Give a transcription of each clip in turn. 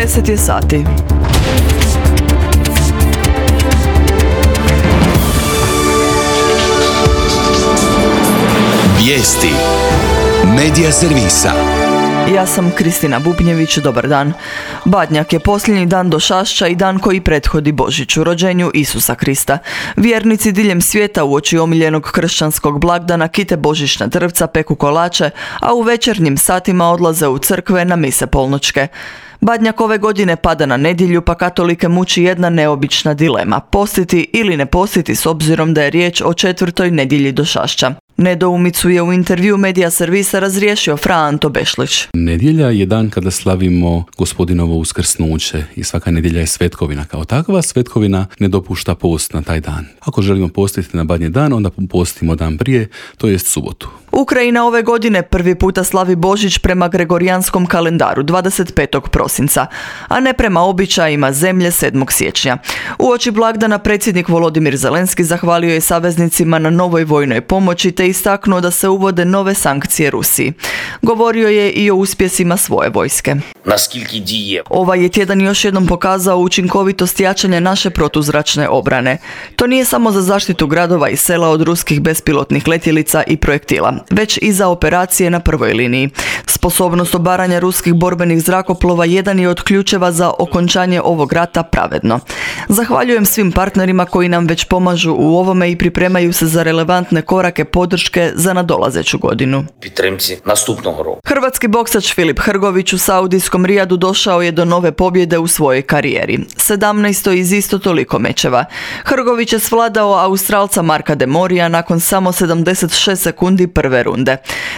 10 je sati. Vijesti Medija servisa. Ja sam Kristina Bubnjević, dobar dan. Badnjak je posljednji dan Došašća i dan koji prethodi Božiću, rođenju Isusa Krista. Vjernici diljem svijeta uoči omiljenog kršćanskog blagdana kite božićna drvca, peku kolače, a u večernjim satima odlaze u crkve na mise polnoćke. Badnjak ove godine pada na nedjelju, pa katolike muči jedna neobična dilema: postiti ili ne postiti s obzirom da je riječ o 4. nedjelji Došašća. Nedoumicu je u intervju Medija servisa razriješio Fra Anto Bešlić. Nedjelja je dan kada slavimo Gospodinovo uskrsnuće i svaka nedjelja je svetkovina. Kao takva svetkovina ne dopušta post na taj dan. Ako želimo postiti na Badnji dan, onda postimo dan prije, to jest subotu. Ukrajina ove godine prvi puta slavi Božić prema gregorijanskom kalendaru 25. prosinca, a ne prema običajima zemlje 7. siječnja. Uoči blagdana predsjednik Volodimir Zelenski zahvalio je saveznicima na novoj vojnoj pomoći te istaknuo da se uvode nove sankcije Rusiji. Govorio je i o uspjesima svoje vojske. Ovaj je tjedan još jednom pokazao učinkovitost jačanja naše protuzračne obrane. To nije samo za zaštitu gradova i sela od ruskih bespilotnih letjelica i projektila, već i za operacije na prvoj liniji. Sposobnost obaranja ruskih borbenih zrakoplova jedan je od ključeva za okončanje ovog rata pravedno. Zahvaljujem svim partnerima koji nam već pomažu u ovome i pripremaju se za relevantne korake podrške za nadolazeću godinu. Hrvatski boksač Filip Hrgović u saudijskom Rijadu došao je do nove pobjede u svojoj karijeri. 17. iz isto toliko mečeva. Hrgović je svladao Australca Marka de Morija nakon samo 76 sekundi prve runde.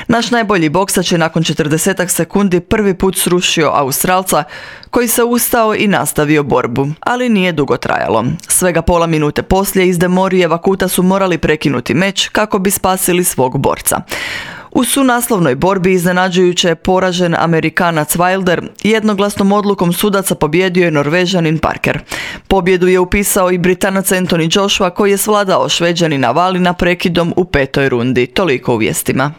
Naš najbolji boksač je nakon 40 sekundi prvi put srušio Australca, koji se ustao i nastavio borbu, ali nije dugo trajalo. Svega pola minute poslije iz de Morijeva kuta su morali prekinuti meč kako bi spasili svog borca. U sunaslovnoj borbi iznenađujuće je poražen Amerikanac Wilder, jednoglasnom odlukom sudaca pobijedio je Norvežanin Parker. Pobjedu je upisao i Britanac Anthony Joshua koji je svladao Šveđanina Valina prekidom u 5. rundi. Toliko u vijestima.